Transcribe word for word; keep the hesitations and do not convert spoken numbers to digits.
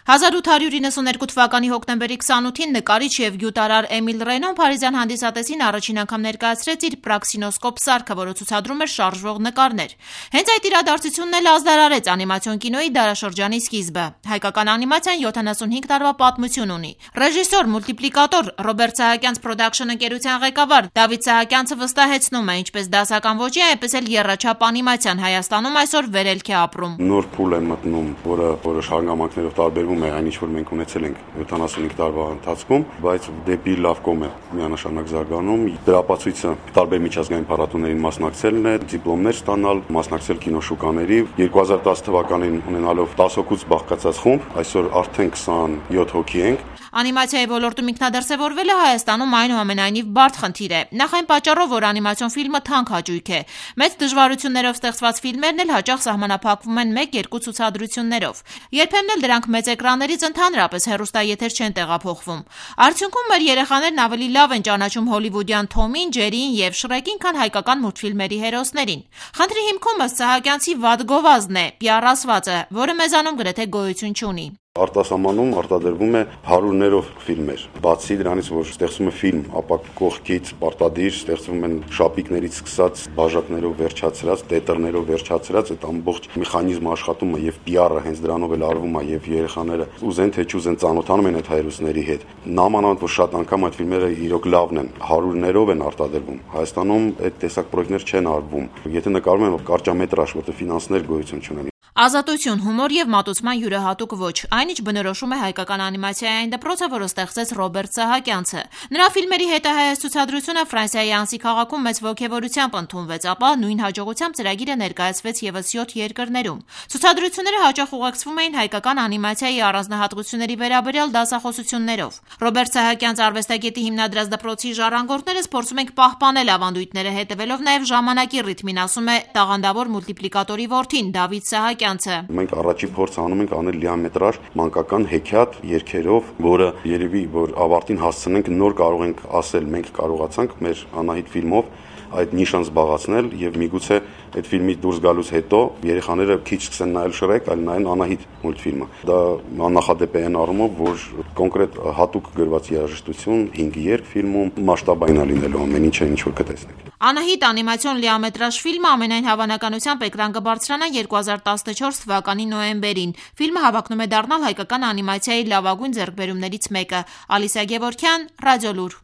հազար ութ հարյուր իննսուներկու թվականի հոկտեմբերի քսանութին նկարիչ եւ գյուտարար Էմիլ Ռենոն Փարիզյան հանդիսատեսին առաջին անգամ ներկայացրեց իր պրաքսինոսկոպ սարքը, որը ցուցադրում էր շարժվող նկարներ։ Հենց այդ իրադարձությունն էլ ազդարարեց անիմացիոն կինոյի դարաշրջանի սկիզբը։ Հայկական անիմացիան յոթանասունհինգ տարվա պատմություն ունի։ Ռեժիսոր, մուլտիպլիկատոր Ռոբերտ Սահակյանց Production ընկերության ղեկավար Դավիթ Սահակյանցը վստահեցնում է, ինչպես դասական ոճի, այնպես էլ եռաչափ անիմացիան Հայաստանում այսօր վերելք է ապրում։ Նոր փուլ է մտնում, որը որոշ հանգամանքներով տարբերվում է այն, ինչ որ մենք ունեցել ենք յոթանասունհինգ տարվա ընթացքում, բայց դեպի լավ կողմ է միանշանակ զարգանում։ Դրա ապացույցը տարբեր միջազգային փառատոներին մասնակցելն է, դիպլոմներ ստանալ, մասնակցել կինոշուկաների։ երկու հազար տասը թվականին ունենալով տասը հոգուց բաղկացած խումբ, այսօր արդեն քսանյոթ հոգի ենք։ Անիմացիայի ոլորտում ինքնադրսևորվելը Հայաստանում այնուամենայնիվ բարդ խնդիր է։ Նախ այն պատճառով, որ անիմացիոն ֆիլմը թանկ հաճույք է։ Մեծ դժվարություններով ստեղծված ֆիլմերն էլ հաճախ սահմանափակվում են մեկ-երկու ցուցադրություններով։ Երբեմն էլ դրանք մեծ էկրաններից ընդհանրապես հեռուստաեթեր չեն տեղափոխվում։ Արդյունքում մեր երեխաներն ավելի լավ են ճանաչում հոլիվուդյան Թոմին, Ջերիին եւ Շրեկին, քան հայկական մուլտֆիլմերի հերոսներին։ Խնդրի հիմքում ըստ Սահակյանցի վատ գովազդն է, պի ար ասվածը, որը մեզանում գրեթե գոյություն չունի։ Արտասահմանում արտադրվում է հարյուրներով ֆիլմեր։ Բացի դրանից, որ ստեղծվում է ֆիլմ, ապա կողքից պարտադիր ստեղծվում են շապիկներից սկսած, բաժակներով վերջացրած, տետրներով վերջացրած, այդ ամբողջ մեխանիզմը աշխատում է եւ պի ար-ը հենց դրանով էլ արվում է եւ երեխաները ուզեն թե չուզեն ծանոթանում են այդ հայրուսների հետ։ Նամանավանդ որ շատ անգամ այդ ֆիլմերը իրոք լավն են, հարյուրներով են արտադրվում։ Հայաստանում այդ տեսակ պրոյեկտներ չեն արվում։ Եթե նկարում են կարճամետրաժ, որտեղ ֆինանսներ գոյություն չունեն։ Ազատություն, հումոր եւ մատուցման յուրահատուկ ոճ, այն ինչ բնորոշում է հայկական անիմացիայի այն դպրոցը, որը ստեղծեց Ռոբերտ Սահակյանցը։ Նրա ֆիլմերի հետահայաց ցուցադրությունը Ֆրանսիայի Անսի քաղաքում մեծ ոգևորությամբ ընդունվեց, ապա նույն հաջողությամբ ծրագիրը ներկայացվեց եւս յոթ երկրներում։ Ցուցադրությունները հաճախ ուղեկցվում էին հայկական անիմացիայի առանձնահատկությունների վերաբերյալ դասախոսություններով։ Ռոբերտ Սահակյանց արվեստագետի հիմնադրած դպրոցի ժառանգորդները փորձում ենք պահպանել ավանդույթները, հետևելով նաեւ ժամանակի ռիթմին, ասում է տաղանդավոր մուլտիպլիկատորի որդին Դավիթ Սահակյանցը։ Մենք առաջի փորձ անում ենք անել լիամետրաժ մանկական հեքիաթ երգերով, որը երևի որ ավարտին հասցնենք, նոր կարող ենք ասել, մենք կարողացանք մեր Անահիտ ֆիլմով այդ նիշան զբաղացնել եւ միգուցե այդ ֆիլմից դուրս գալուց հետո երեխաները քիչ սկսեն նայել Շրեք, այլ նայեն Անահիտ մուլտֆիլմը։ Դա աննախադեպ է այն առումով, որ կոնկրետ հատուկ գրված երաժշտություն, հինգ երգ ֆիլմում մասշտաբային է լինելու ամեն ինչը, ինչ որ կտեսնեք։ Անահիտ անիմացիոն լիամետրաժ ֆիլմը ամենայն հավանականությամբ էկրան կբարձրանա երկու հազար տասնչորս թվականի նոյեմբերին։ Ֆիլմը հավակնում է դառնալ հայկական անիմացիայի լավագույն ձեռքբերումներից մեկը։ Ալիսա Գևորգյան, Ռադիոլուր։